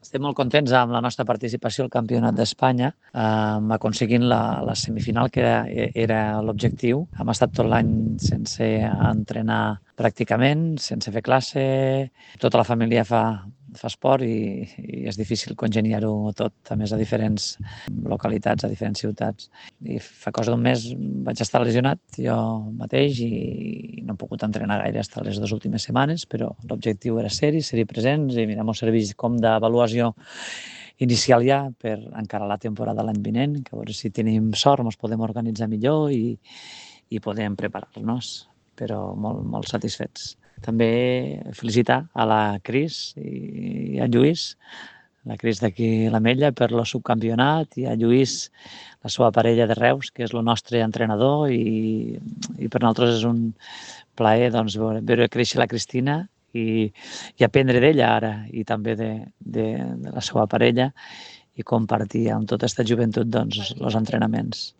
Estem molt contents amb la nostra participació al Campionat d'Espanya, aconseguint la semifinal, que era l'objectiu. Hem estat tot l'any sense entrenar pràcticament, sense fer classe. Tota la família fa esport i és difícil congeniar-ho tot, a més a diferents localitats, a diferents ciutats. I fa cosa d'un mes vaig estar lesionat jo mateix i no he pogut entrenar gaire fins les 2 últimes setmanes, però l'objectiu era ser-hi presents i mira, m'ho serveix com d'avaluació inicial ja per encarar la temporada l'any vinent, que a veure si tenim sort, ens podem organitzar millor i podem preparar-nos, però molt, molt satisfets. També felicitar a la Cris i a Lluís, la Cris d'aquí l'Ametlla, per el subcampionat, i a Lluís, la seva parella de Reus, que és el nostre entrenador, i per nosaltres és un plaer doncs, veure créixer la Cristina i aprendre d'ella ara, i també de la seva parella, i compartir amb tota aquesta joventut doncs, els entrenaments.